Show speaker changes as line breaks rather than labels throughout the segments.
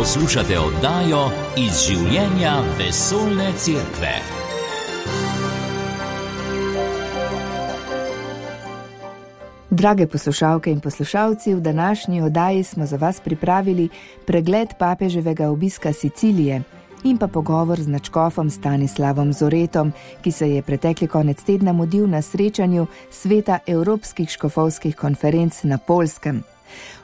Poslušate oddajo Iz življenja vesoljne cerkve.
Drage poslušalke in poslušalci, v današnji oddaji smo za vas pripravili pregled papeževega obiska Sicilije in pa pogovor z nadškofom Stanislavom Zoretom, ki se je pretekli konec tedna mudil na srečanju Sveta Evropskih škofovskih konferenc na Poljskem.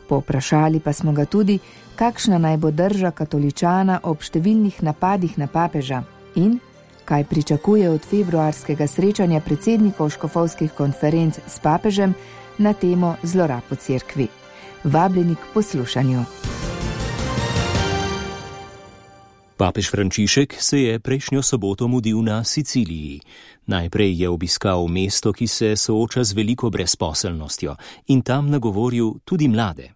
Povprašali pa smo ga tudi, kakšna naj bo drža katoličana ob številnih napadih na papeža in kaj pričakuje od februarskega srečanja predsednikov škofovskih konferenc s papežem na temo zlorab v cerkvi. Vabljeni k poslušanju.
Papež Frančišek se je prejšnjo soboto mudil na Siciliji. Najprej je obiskal mesto, ki se sooča z veliko brezposelnostjo in tam nagovoril tudi mlade.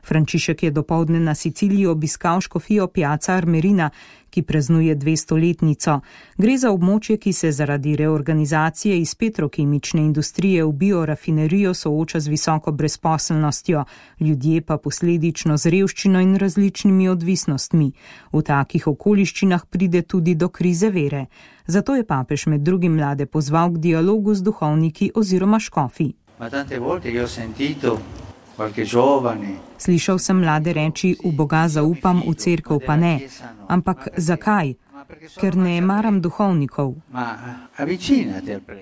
Frančišek je dopoldne na Siciliji obiskal škofijo Piazza Armerina, ki praznuje 200-letnico. Gre za območje, ki se zaradi reorganizacije iz petrokemične industrije v biorafinerijo sooča z visoko brezposelnostjo, ljudje pa posledično z revščino in različnimi odvisnostmi. V takih okoliščinah pride tudi do krize vere. Zato je papež med drugim mlade pozval k dialogu z duhovniki oziroma škofi. Slišal sem mlade reči, v Boga zaupam, v cerkev pa ne. Ampak zakaj? Ker ne maram duhovnikov.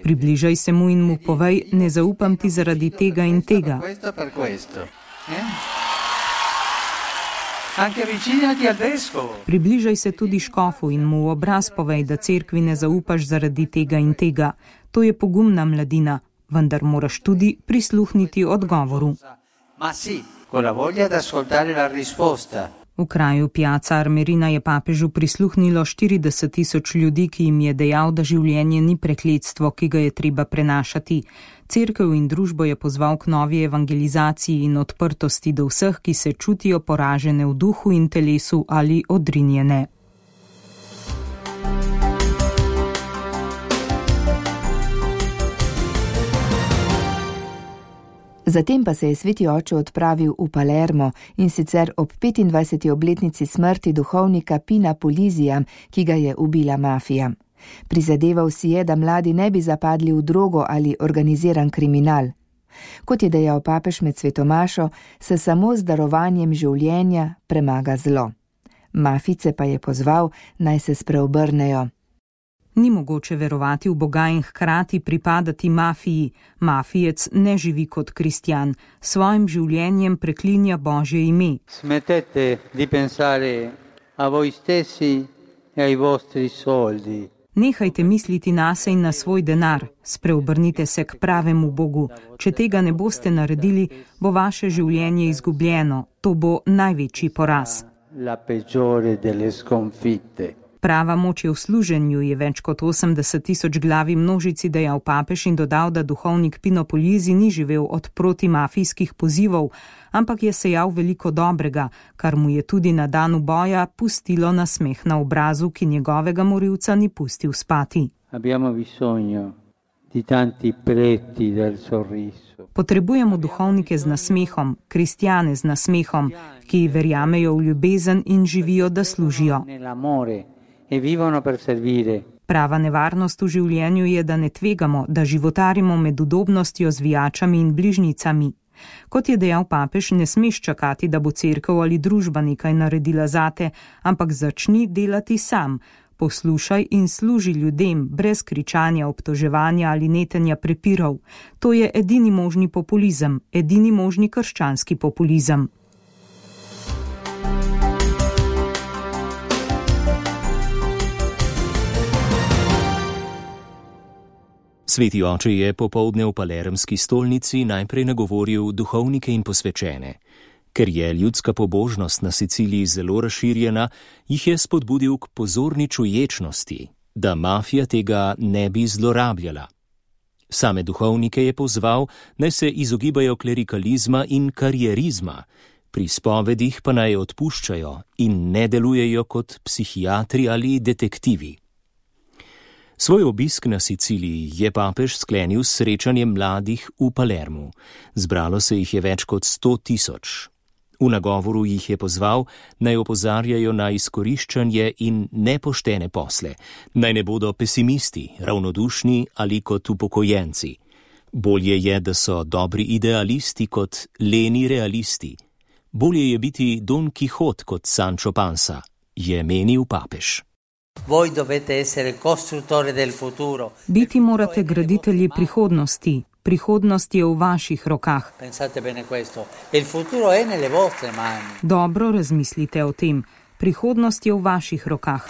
Približaj se mu in mu povej, ne zaupam ti zaradi tega in tega. Približaj se tudi škofu in mu v obraz povej, da cerkvi ne zaupaš zaradi tega in tega. To je pogumna mladina, vendar moraš tudi prisluhniti odgovoru. V kraju Piazza Armerina je papežu prisluhnilo 40.000 ljudi, ki jim je dejal, da življenje ni prekletstvo, ki ga je treba prenašati. Cerkev in družbo je pozval k novi evangelizaciji in odprtosti do vseh, ki se čutijo poražene v duhu in telesu ali odrinjene.
Zatem pa se je sveti oče odpravil v Palermo in sicer ob 25. obletnici smrti duhovnika Pina Polizija, ki ga je ubila mafija. Prizadeval si je, da mladi ne bi zapadli v drogo ali organiziran kriminal. Kot je dejal papež med svetomašo, se samo z darovanjem življenja premaga zlo. Mafijce pa je pozval, naj se spreobrnejo.
Ni mogoče verovati v Boga in hkrati pripadati mafiji. Mafijec ne živi kot kristjan. Svojim življenjem preklinja Božje ime.
Smettete di pensare a voi stessi e ai vostri soldi.
Nehajte misliti nase in na svoj denar. Spreobrnite se k pravemu Bogu. Če tega ne boste naredili, bo vaše življenje izgubljeno. To bo največji poraz.
La peggiore delle sconfitte.
Prava moč je v služenju, je več kot 80.000 glavi množici dejal papež in dodal, da duhovnik Pino Puglisi ni živel od protimafijskih pozivov, ampak je sejal veliko dobrega, kar mu je tudi na danu boja pustilo nasmeh na obrazu, ki njegovega morilca ni pustil spati. Potrebujemo duhovnike z nasmehom, kristjane z nasmehom, ki verjamejo v ljubezen in živijo, da služijo. Prava nevarnost v življenju je, da ne tvegamo, da životarimo med udobnostjo, zvijačami in bližnjicami. Kot je dejal papež, ne smeš čakati, da bo cerkev ali družba nekaj naredila zate, ampak začni delati sam. Poslušaj in služi ljudem, brez kričanja, obtoževanja ali netenja prepirov. To je edini možni populizem, edini možni krščanski populizem.
Sveti oče je popoldne v palermski stolnici najprej nagovoril duhovnike in posvečene. Ker je ljudska pobožnost na Siciliji zelo razširjena, jih je spodbudil k pozorni čuječnosti, da mafija tega ne bi zlorabljala. Same duhovnike je pozval, naj se izogibajo klerikalizma in karierizma, pri spovedih pa naj odpuščajo in ne delujejo kot psihiatri ali detektivi. Svoj obisk na Siciliji je papež sklenil s srečanjem mladih v Palermu. Zbralo se jih je več kot 100.000. V nagovoru jih je pozval, naj opozarjajo na izkoriščanje in nepoštene posle, naj ne bodo pesimisti, ravnodušni ali kot upokojenci. Bolje je, da so dobri idealisti kot leni realisti. Bolje je biti Don Quixote kot Sancho Panza, je menil papež.
Biti morate graditelji prihodnosti. Prihodnost je v vaših rokah. Dobro razmislite o tem. Prihodnost je v vaših rokah.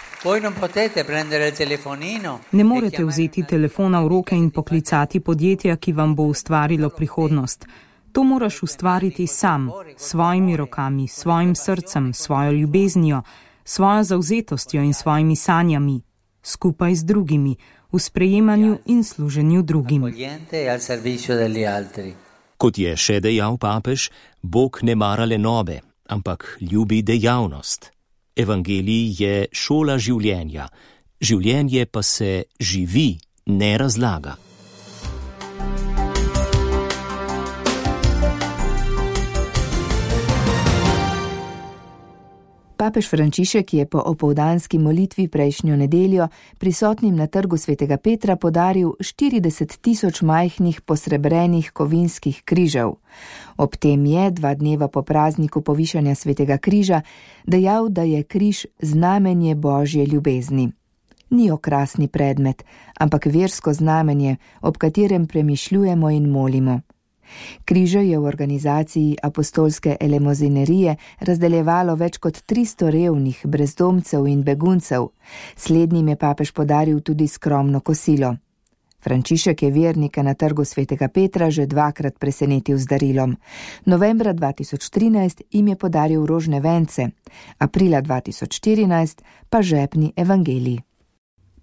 Ne morete vzeti telefona v roke in poklicati podjetja, ki vam bo ustvarilo prihodnost. To moraš ustvariti sam, s svojimi rokami, svojim srcem, svojo ljubeznijo, svojo zavzetostjo in svojimi sanjami, skupaj z drugimi, v sprejemanju in služenju drugim.
Kot je še dejal papež, Bog ne mara lenobe, ampak ljubi dejavnost. Evangelij je šola življenja, življenje pa se živi, ne razlaga.
Papež Frančišek je po opoldanski molitvi prejšnjo nedeljo prisotnim na trgu svetega Petra podaril 40.000 majhnih posrebrenih kovinskih križev. Ob tem je 2 dneva po prazniku povišanja svetega križa dejal, da je križ znamenje Božje ljubezni. Ni okrasni predmet, ampak versko znamenje, ob katerem premišljujemo in molimo. Križe je v organizaciji apostolske elemozinerije razdeljevalo več kot 300 revnih, brezdomcev in beguncev. Slednjim je papež podaril tudi skromno kosilo. Frančišek je vernike na trgu svetega Petra že 2-krat presenetil z darilom. Novembra 2013 jim je podaril rožne vence, aprila 2014 pa žepni evangelij.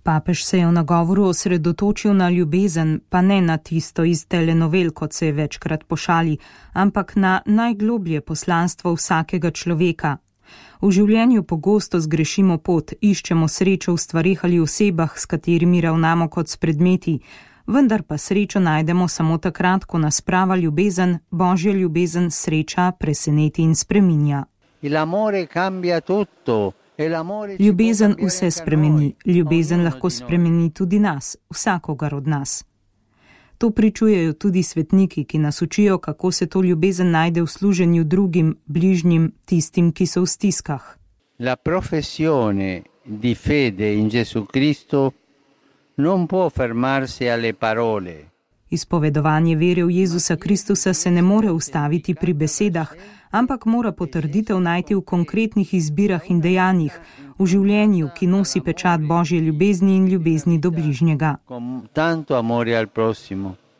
Papež se je v nagovoru osredotočil na ljubezen, pa ne na tisto iz telenovel, kot se je večkrat pošali, ampak na najgloblje poslanstvo vsakega človeka. V življenju pogosto zgrešimo pot, iščemo srečo v stvarih ali osebah, s katerimi ravnamo kot s predmeti, vendar pa srečo najdemo samo takrat, ko nas prava ljubezen, Božja ljubezen, sreča, preseneti in spreminja. Ljubezen vse spremeni, ljubezen lahko spremeni tudi nas, vsakogar od nas. To pričujejo tudi svetniki, ki nas učijo, kako se to ljubezen najde v služenju drugim, bližnjim, tistim, ki so v stiskah.
La professione di fede in Gesù Cristo non può fermarsi alle parole.
Izpovedovanje vere v Jezusa Kristusa se ne more ustaviti pri besedah, ampak mora potrditev najti v konkretnih izbirah in dejanjih, v življenju, ki nosi pečat Božje ljubezni in ljubezni do bližnjega.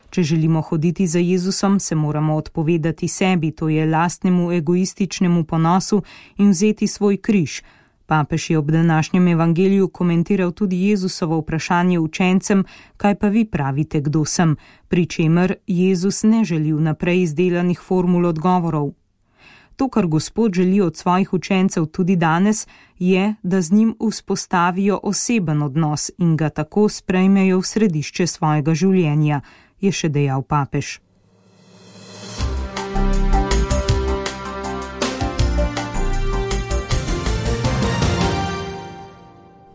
Če želimo hoditi za Jezusom, se moramo odpovedati sebi, to je lastnemu egoističnemu ponosu, in vzeti svoj križ. Papež je ob današnjem evangeliju komentiral tudi Jezusovo vprašanje učencem, kaj pa vi pravite, kdo sem, pri čemer Jezus ne želi vnaprej izdelanih formul odgovorov. To, kar Gospod želi od svojih učencev tudi danes, je, da z njim vzpostavijo oseben odnos in ga tako sprejmejo v središče svojega življenja, je še dejal papež.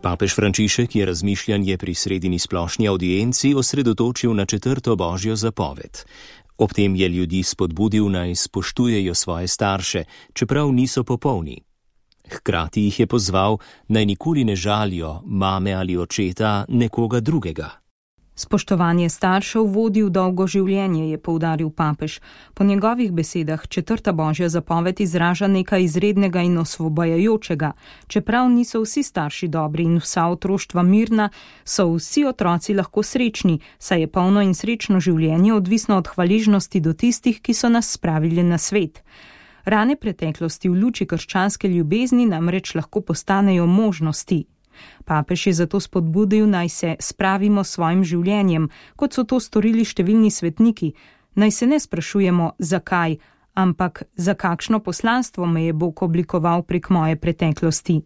Papež Frančišek je razmišljanje pri sredini splošni audienci osredotočil na 4. Božjo zapoved. Ob tem je ljudi spodbudil, naj spoštujejo svoje starše, čeprav niso popolni. Hkrati jih je pozval, naj nikoli ne žalijo mame ali očeta nekoga drugega.
Spoštovanje staršev vodi v dolgo življenje, je poudaril papež. Po njegovih besedah 4. Božja zapoved izraža nekaj izrednega in osvobajajočega. Čeprav niso vsi starši dobri in vsa otroštva mirna, so vsi otroci lahko srečni, saj je polno in srečno življenje odvisno od hvaležnosti do tistih, ki so nas spravili na svet. Rane preteklosti v luči krščanske ljubezni namreč lahko postanejo možnosti. Papež je zato spodbudil, naj se spravimo s svojim življenjem, kot so to storili številni svetniki. Naj se ne sprašujemo, zakaj, ampak za kakšno poslanstvo me je Bog oblikoval prek moje preteklosti.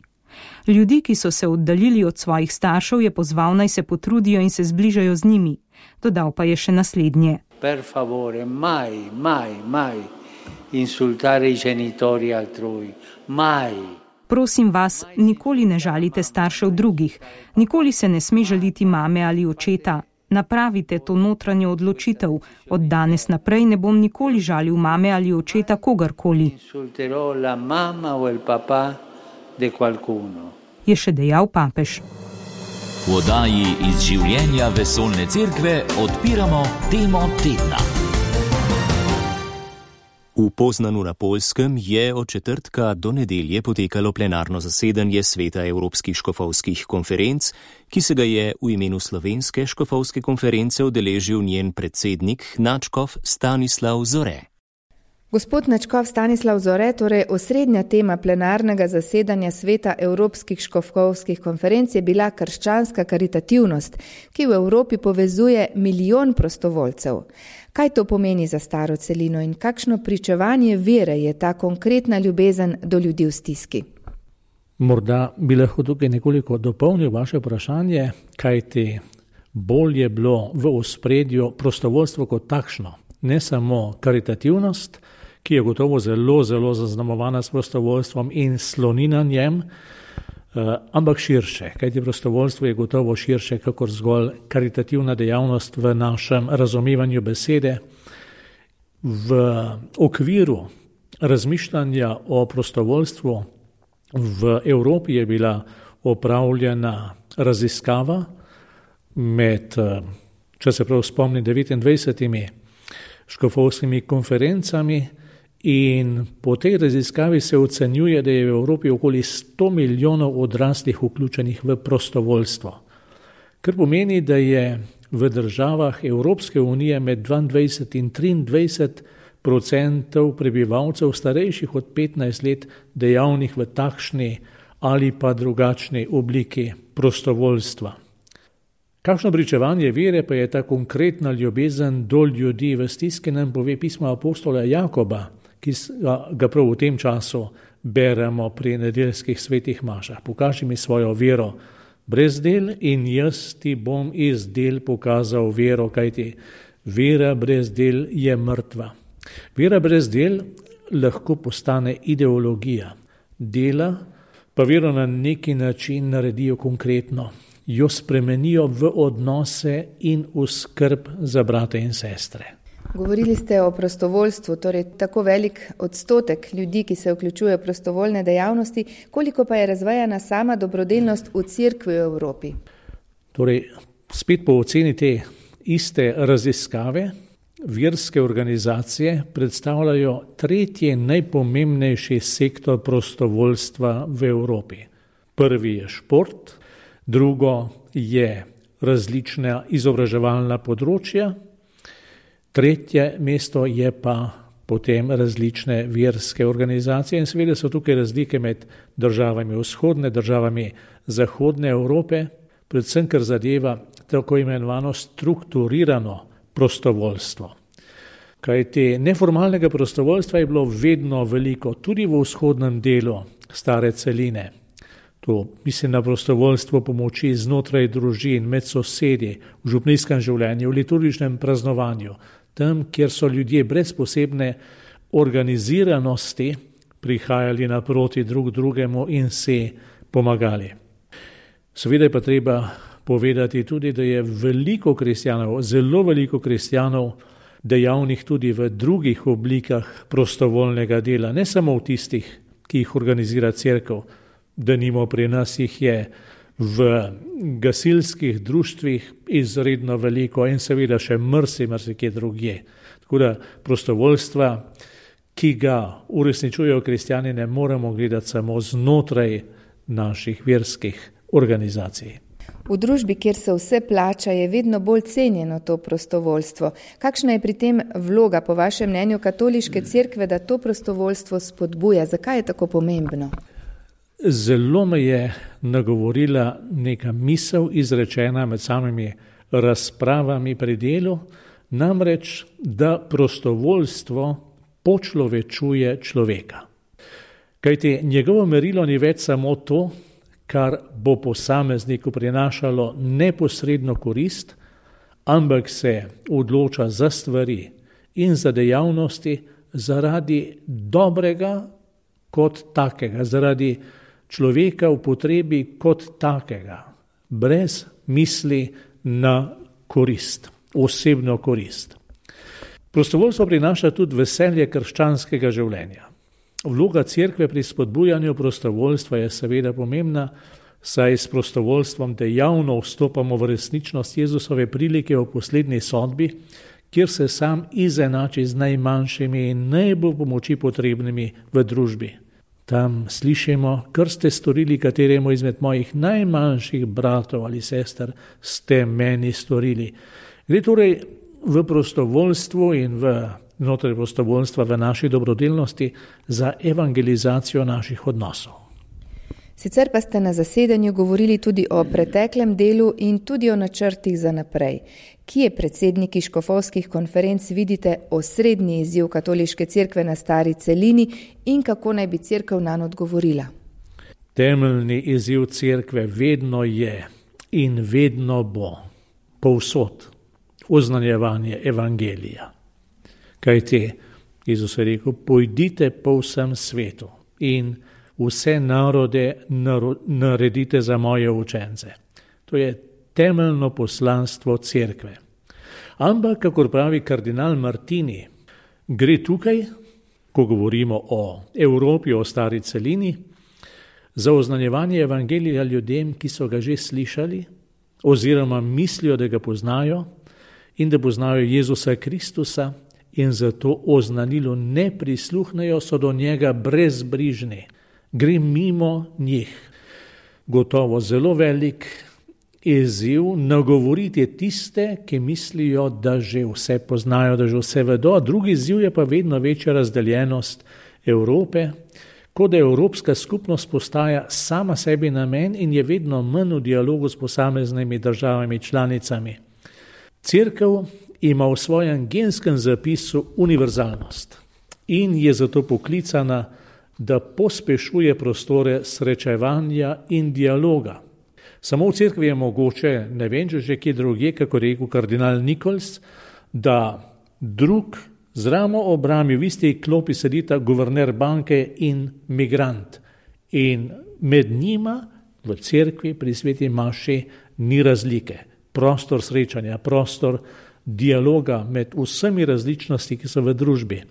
Ljudi, ki so se oddaljili od svojih staršev, je pozval, naj se potrudijo in se zbližajo z njimi. Dodal pa je še naslednje.
Per favore, mai insultare i genitori altrui, mai.
Prosim vas, nikoli ne žalite staršev drugih, nikoli se ne sme žaliti mame ali očeta. Napravite to notranjo odločitev. Od danes naprej ne bom nikoli žalil mame ali očeta kogarkoli.
Insulterò la mamma o il papà di qualcuno.
Je še dejal papež.
V oddaji iz življenja vesoljne cerkve odpiramo temo tedna.
V Poznanu na Poljskem je od četrtka do nedelje potekalo plenarno zasedanje Sveta evropskih škofovskih konferenc, ki se ga je v imenu Slovenske škofovske konference udeležil njen predsednik nadškof Stanislav Zore.
Gospod nadškof Stanislav Zore, torej osrednja tema plenarnega zasedanja Sveta evropskih škofovskih konferenc je bila krščanska karitativnost, ki v Evropi povezuje milijon prostovoljcev. Kaj to pomeni za staro celino in kakšno pričevanje vere je ta konkretna ljubezen do ljudi v stiski?
Morda bi lahko tukaj nekoliko dopolnil vaše vprašanje, kajti bolj je bilo v ospredju prostovoljstvo kot takšno, ne samo karitativnost, ki je gotovo zelo zaznamovana s prostovoljstvom in sloni na njem, ampak širše, kajti prostovoljstvo je gotovo širše kakor zgolj karitativna dejavnost v našem razumevanju besede. V okviru razmišljanja o prostovoljstvu v Evropi je bila opravljena raziskava med, če se prav spomnim, 29 škofovskimi konferencami, in po tej raziskavi se ocenjuje, da je v Evropi okoli 100 milijonov odraslih vključenih v prostovoljstvo. Kar pomeni, da je v državah Evropske unije med 22 in 23% prebivalcev starejših od 15 let dejavnih v takšni ali pa drugačni obliki prostovoljstva. Kakšno pričevanje vere pa je ta konkretna ljubezen do ljudi v stiski, nam pove pismo apostola Jakoba, ki ga prav v tem času beremo pri nedeljskih svetih mašah. Pokaži mi svojo vero brez del in jaz ti bom iz del pokazal vero, kajti vera brez del je mrtva. Vera brez del lahko postane ideologija. Dela pa vero na neki način naredijo konkretno. Jo spremenijo v odnose in v skrb za brate in sestre.
Govorili ste o prostovoljstvu, torej tako velik odstotek ljudi, ki se vključujejo v prostovoljne dejavnosti, koliko pa je razvejana sama dobrodelnost v cerkvi v Evropi?
Torej, spet po oceni te iste raziskave, verske organizacije predstavljajo tretji najpomembnejši sektor prostovoljstva v Evropi. Prvi je šport, drugo je različna izobraževalna področja, tretje mesto je pa potem različne verske organizacije in seveda so tukaj razlike med državami vzhodne, državami zahodne Evrope, predvsem kar zadeva tako imenovano strukturirano prostovoljstvo. Kajti neformalnega prostovoljstva je bilo vedno veliko, tudi v vzhodnem delu stare celine. To mislim na prostovoljstvo pomoči znotraj družin, med sosedi, v župnijskem življenju, v liturgičnem praznovanju, tam, kjer so ljudje brez posebne organiziranosti prihajali naproti drug drugemu in si pomagali. Seveda je pa treba povedati tudi, da je veliko kristjanov, zelo veliko kristjanov dejavnih tudi v drugih oblikah prostovoljnega dela, ne samo v tistih, ki jih organizira cerkev. Denimo pri nas jih je v gasilskih društvih izredno veliko in seveda še marsikje drugje. Tako da prostovoljstva, ki ga uresničujejo kristjani, ne moremo gledati samo znotraj naših verskih organizacij.
V družbi, kjer se vse plača, je vedno bolj cenjeno to prostovoljstvo. Kakšna je pri tem vloga, po vašem mnenju, katoliške cerkve, da to prostovoljstvo spodbuja? Zakaj je tako pomembno?
Zelo me je nagovorila neka misel izrečena med samimi razpravami pri delu, namreč, da prostovoljstvo počlovečuje človeka. Kajti njegovo merilo ni več samo to, kar bo posamezniku prinašalo neposredno korist, ampak se odloča za stvari in za dejavnosti, zaradi dobrega kot takega, zaradi človeka v potrebi kot takega, brez misli na korist, osebno korist. Prostovoljstvo prinaša tudi veselje krščanskega življenja. Vloga cerkve pri spodbujanju prostovoljstva je seveda pomembna, saj s prostovoljstvom dejavno vstopamo v resničnost Jezusove prilike o poslednji sodbi, kjer se sam izenači z najmanjšimi in najbolj pomoči potrebnimi v družbi. Tam slišimo, kar ste storili kateremu izmed mojih najmanjših bratov ali sester, ste meni storili. Gre torej v prostovoljstvu in znotraj prostovoljstva v naši dobrodelnosti za evangelizacijo naših odnosov.
Sicer pa ste na zasedanju govorili tudi o preteklem delu in tudi o načrtih za naprej. Kje predsedniki škofovskih konferenc vidite osrednji izziv katoliške cerkve na stari celini in kako naj bi cerkev nanj odgovorila?
Temeljni izziv cerkve vedno je in vedno bo povsod oznanjevanje evangelija. Kajti Jezus je rekel, pojdite po vsem svetu in vse narode naredite za moje učence. To je temeljno poslanstvo cerkve. Ampak, kakor pravi kardinal Martini, gre tukaj, ko govorimo o Evropi, o stari celini, za oznanjevanje evangelija ljudem, ki so ga že slišali, oziroma mislijo, da ga poznajo in da poznajo Jezusa Kristusa in zato oznanilu ne prisluhnejo, so do njega brezbrižni. Gre mimo njih. Gotovo zelo velik izziv nagovoriti tiste, ki mislijo, da že vse poznajo, da že vse vedo. Drugi izziv je pa vedno večja razdeljenost Evrope, kot da Evropska skupnost postaja sama sebi namen in je vedno manj v dialogu s posameznimi državami članicami. Cerkev ima v svojem genskem zapisu univerzalnost in je zato poklicana, da pospešuje prostore srečevanja in dialoga. Samo v cerkvi je mogoče, ne vem, če že kje drugje, kako rekel kardinal Nichols, da drug z ramo ob rami v isti klopi sedita guverner banke in migrant. In med njima v cerkvi pri sveti maši ni razlike. Prostor srečanja, prostor dialoga med vsemi različnosti, ki so v družbi.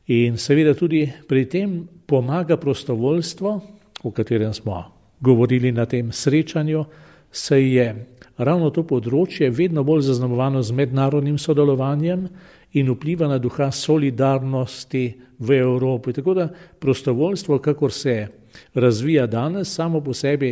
In seveda tudi pri tem pomaga prostovoljstvo, o katerem smo govorili na tem srečanju, se je ravno to področje vedno bolj zaznamovano z mednarodnim sodelovanjem in vpliva na duha solidarnosti v Evropi. Tako da prostovoljstvo, kakor se razvija danes, samo po sebi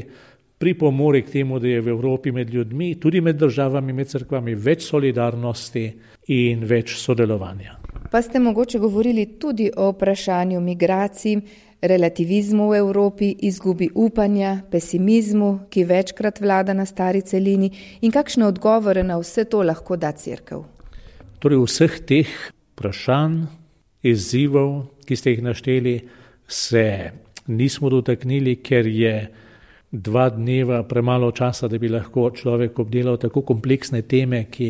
pripomore k temu, da je v Evropi med ljudmi, tudi med državami, med cerkvami več solidarnosti in več sodelovanja.
Pa ste mogoče govorili tudi o vprašanju migracij, relativizmu v Evropi, izgubi upanja, pesimizmu, ki večkrat vlada na stari celini in kakšne odgovore na vse to lahko da cerkev?
Torej vseh teh vprašanj, izzivov, ki ste jih našteli, se nismo dotaknili, ker je 2 dneva premalo časa, da bi lahko človek obdelal tako kompleksne teme, ki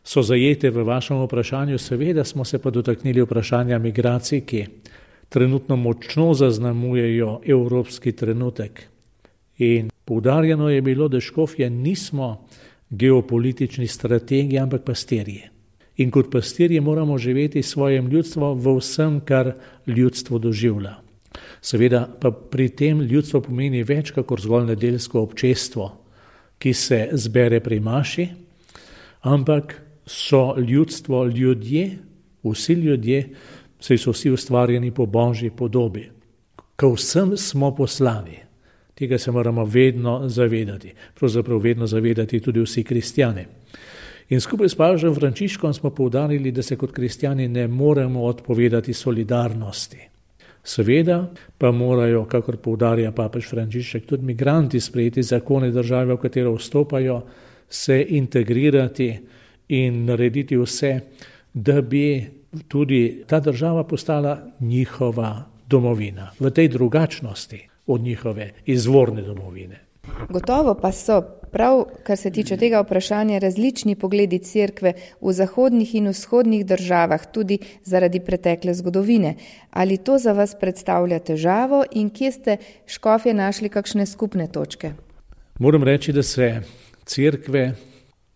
so zajete v vašem vprašanju. Seveda smo se pa dotaknili vprašanja migracij, ki trenutno močno zaznamujejo evropski trenutek. In poudarjeno je bilo, da škofje nismo geopolitični strategi, ampak pastirji. In kot pastirji moramo živeti svojim ljudstvom v vsem, kar ljudstvo doživlja. Seveda pa pri tem ljudstvo pomeni več, kakor zgolj nedeljsko občestvo, ki se zbere pri maši, ampak so ljudstvo ljudje, vsi ljudje, saj so vsi ustvarjeni po Božji podobi. Ko vsem smo poslani, tega se moramo vedno zavedati, pravzaprav vedno zavedati tudi vsi kristjani. In skupaj s papežem Frančiškom smo poudarili, da se kot kristjani ne moremo odpovedati solidarnosti. Seveda pa morajo, kakor poudarja papež Frančišek, tudi migranti sprejeti zakone države, v katero vstopajo, se integrirati in narediti vse, da bi tudi ta država postala njihova domovina, v tej drugačnosti od njihove izvorne domovine.
Gotovo pa so prav, kar se tiče tega vprašanja, različni pogledi cerkve v zahodnih in vzhodnih državah, tudi zaradi pretekle zgodovine. Ali to za vas predstavlja težavo in kje ste škofje našli kakšne skupne točke?
Moram reči, da se cerkve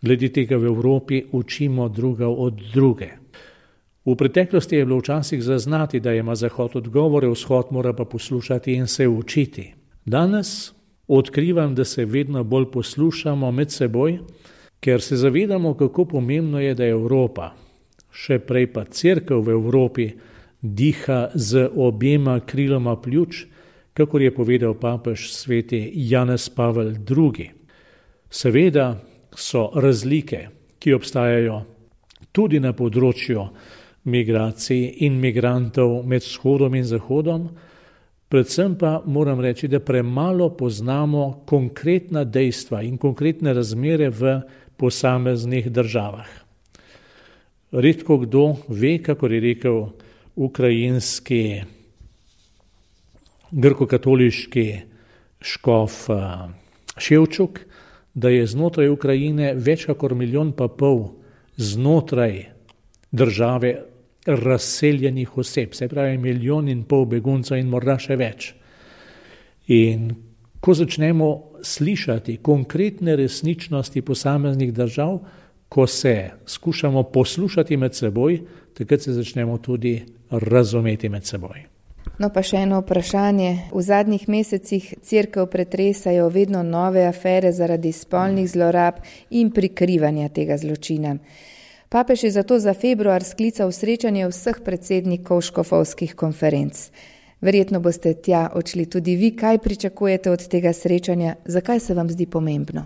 glede tega v Evropi učimo druga od druge. V preteklosti je bilo včasih zaznati, da ima Zahod odgovore, Vzhod mora pa poslušati in se učiti. Danes odkrivam, da se vedno bolj poslušamo med seboj, ker se zavedamo, kako pomembno je, da Evropa, še prej pa cerkev v Evropi, diha z objema kriloma pljuč, kakor je povedal papež sveti Janez Pavel II. Seveda so razlike, ki obstajajo tudi na področju migracij in migrantov med vzhodom in zahodom, predvsem pa moram reči, da premalo poznamo konkretna dejstva in konkretne razmere v posameznih državah. Redko kdo ve, kakor je rekel ukrajinski grkokatoliški škof Ševčuk, da je znotraj Ukrajine več kakor 1,5 milijona znotraj države razseljenih oseb, se pravi 1,5 milijona beguncev in morda še več. In ko začnemo slišati konkretne resničnosti posameznih držav, ko se skušamo poslušati med seboj, takrat se začnemo tudi razumeti med seboj.
No pa še eno vprašanje. V zadnjih mesecih cerkev pretresajo vedno nove afere zaradi spolnih zlorab in prikrivanja tega zločina. Papež je zato za februar sklical srečanje vseh predsednikov škofovskih konferenc. Verjetno boste tja odšli tudi vi. Kaj pričakujete od tega srečanja? Zakaj se vam zdi pomembno?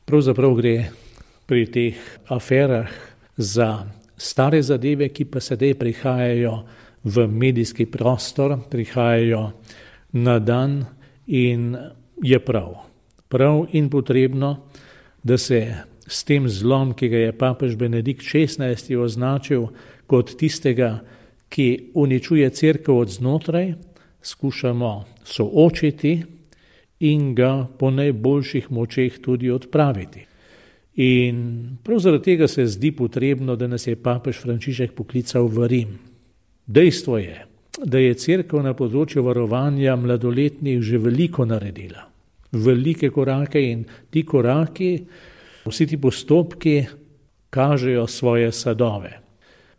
Pravzaprav gre pri teh aferah za stare zadeve, ki pa sedaj prihajajo v medijski prostor, prihajajo na dan in je prav in potrebno, da se s tem zlom, ki ga je papež Benedikt XVI označil kot tistega, ki uničuje cerkev od znotraj, skušamo soočiti in ga po najboljših močeh tudi odpraviti. In prav zaradi tega se zdi potrebno, da nas je papež Frančišek poklical v Rim. Dejstvo je, da je cerkev na področju varovanja mladoletnih že veliko naredila. Velike korake in ti koraki, vsi ti postopki kažejo svoje sadove.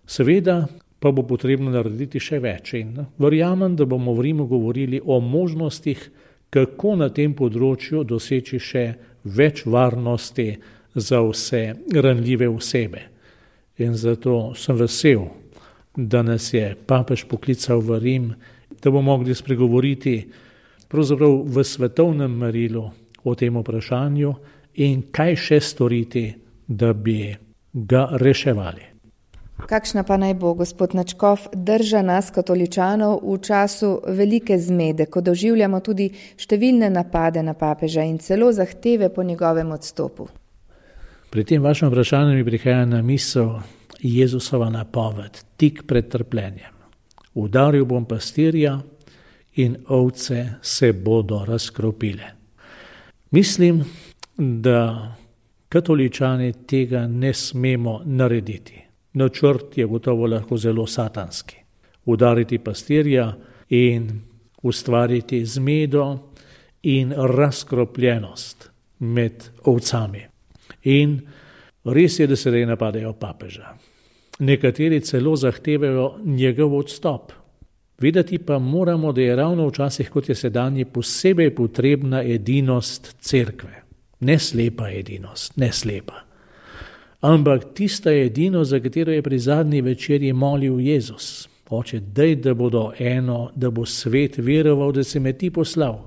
Seveda pa bo potrebno narediti še več in verjamem, da bomo v Rimu govorili o možnostih, kako na tem področju doseči še več varnosti za vse ranljive osebe. In zato sem vesel, da nas je papež poklical v Rim, da bomo mogli spregovoriti pravzaprav v svetovnem merilu o tem vprašanju in kaj še storiti, da bi ga reševali.
Kakšna pa naj bo, gospod Načkov, drža nas katoličanov v času velike zmede, ko doživljamo tudi številne napade na papeža in celo zahteve po njegovem odstopu?
Pri tem vašem vprašanju mi prihaja na misel Jezusova napoved, tik pred trpljenjem. Udaril bom pastirja in ovce se bodo razkropile. Mislim, da katoličani tega ne smemo narediti. Načrt je gotovo lahko zelo satanski. Udariti pastirja in ustvariti zmedo in razkropljenost med ovcami. In res je, da se zdaj napadajo papeža. Nekateri celo zahtevajo njegov odstop. Vedeti pa moramo, da je ravno včasih, kot je sedanji, posebej potrebna edinost cerkve. Ne slepa edinost, ne slepa. Ampak tista edinost, za katero je pri zadnji večerji molil Jezus. Oče, daj, da bodo eno, da bo svet veroval, da si me ti poslal.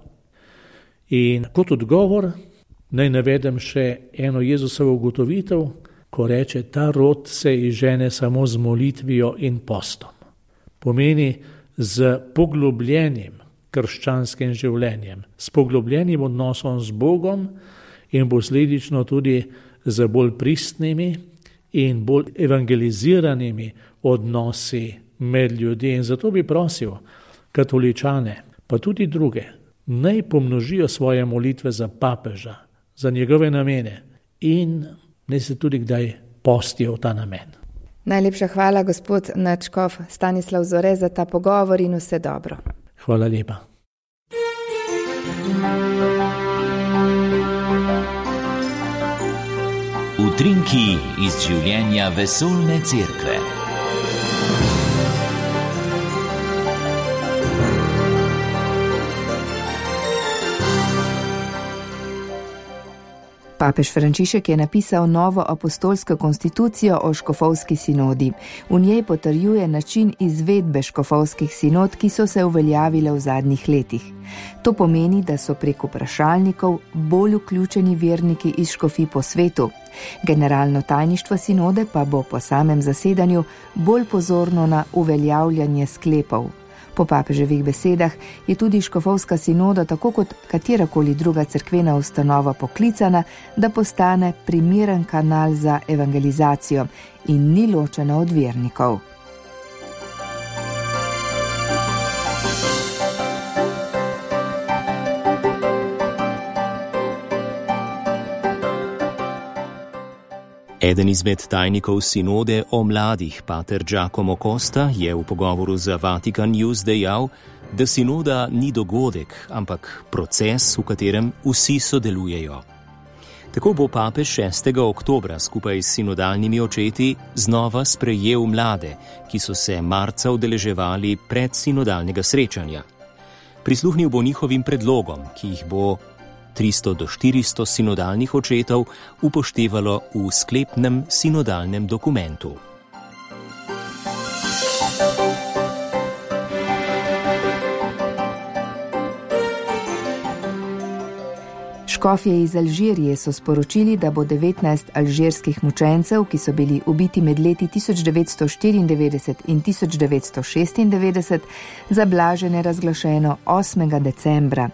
In kot odgovor naj navedem še eno Jezusovo ugotovitev, ko reče, ta rod se izžene samo z molitvijo in postom. Pomeni z poglobljenim krščanskim življenjem, s poglobljenim odnosom z Bogom in posledično tudi z bolj pristnimi in bolj evangeliziranimi odnosi med ljudmi. In zato bi prosil katoličane, pa tudi druge, naj pomnožijo svoje molitve za papeža, za njegove namene in naj se tudi kdaj postijo v ta namen.
Najlepša hvala, gospod nadškof Stanislav Zore, za ta pogovor in vse dobro.
Hvala lepa.
Utrinki iz življenja vesoljne cerkve.
Papež Frančišek je napisal novo apostolsko konstitucijo o škofovski sinodi. V njej potrjuje način izvedbe škofovskih sinod, ki so se uveljavile v zadnjih letih. To pomeni, da so prek vprašalnikov bolj vključeni verniki iz škofij po svetu. Generalno tajništvo sinode pa bo po samem zasedanju bolj pozorno na uveljavljanje sklepov. Po papeževih besedah je tudi škofovska sinoda, tako kot katerakoli druga cerkvena ustanova, poklicana, da postane primeren kanal za evangelizacijo in ni ločena od vernikov.
Eden izmed tajnikov sinode o mladih, pater Giacomo Costa, je v pogovoru za Vatican News dejal, da sinoda ni dogodek, ampak proces, v katerem vsi sodelujejo. Tako bo papež 6. oktobra skupaj s sinodalnimi očeti znova sprejel mlade, ki so se marca udeleževali pred sinodalnega srečanja. Prisluhnil bo njihovim predlogom, ki jih bo 300 do 400 sinodalnih očetov upoštevalo v sklepnem sinodalnem dokumentu.
Škofje iz Alžirije so sporočili, da bo 19 alžirskih mučencev, ki so bili ubiti med leti 1994 in 1996, za blaženje razglašeno 8. decembra.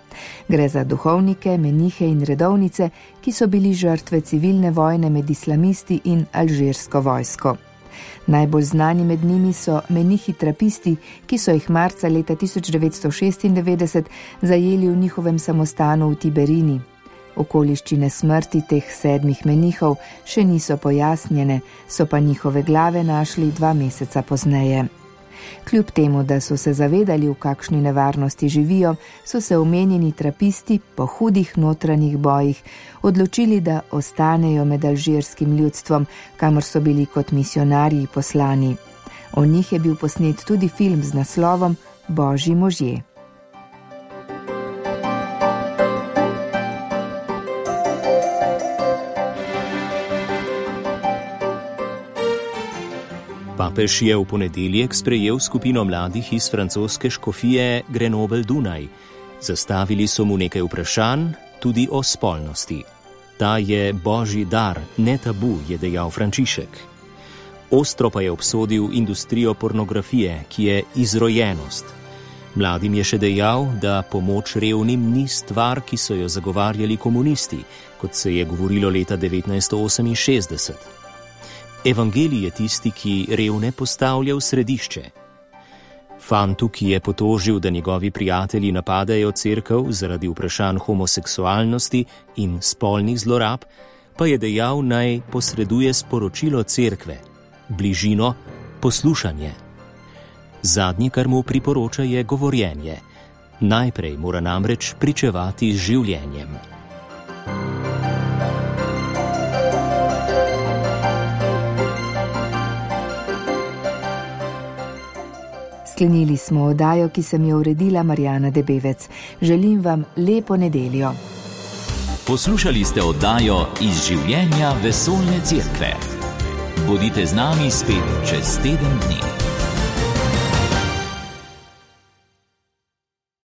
Gre za duhovnike, menihe in redovnice, ki so bili žrtve civilne vojne med islamisti in alžirsko vojsko. Najbolj znani med njimi so menihi trapisti, ki so jih marca leta 1996 zajeli v njihovem samostanu v Tiberini. Okoliščine smrti teh 7 menihov še niso pojasnjene, so pa njihove glave našli 2 meseca pozneje. Kljub temu, da so se zavedali, v kakšni nevarnosti živijo, so se omenjeni trapisti po hudih notranjih bojih odločili, da ostanejo med alžirskim ljudstvom, kamor so bili kot misionarji poslani. O njih je bil posnet tudi film z naslovom Božji možje.
Papež je v ponedeljek sprejel skupino mladih iz francoske škofije Grenoble-Dunaj. Zastavili so mu nekaj vprašanj, tudi o spolnosti. Ta je božji dar, ne tabu, je dejal Frančišek. Ostro pa je obsodil industrijo pornografije, ki je izrojenost. Mladim je še dejal, da pomoč revnim ni stvar, ki so jo zagovarjali komunisti, kot se je govorilo leta 1968. Evangelij je tisti, ki revne postavlja v središče. Fantu, ki je potožil, da njegovi prijatelji napadajo cerkev zaradi vprašanj homoseksualnosti in spolnih zlorab, pa je dejal, naj posreduje sporočilo cerkve, bližino, poslušanje. Zadnje, kar mu priporoča, je govorjenje. Najprej mora namreč pričevati z življenjem.
Sklenili smo oddajo, ki sem jo uredila Marjana Debevec. Želim vam lepo nedeljo.
Poslušali ste oddajo Iz življenja vesoljne cerkve. Bodite z nami spet čez teden dni.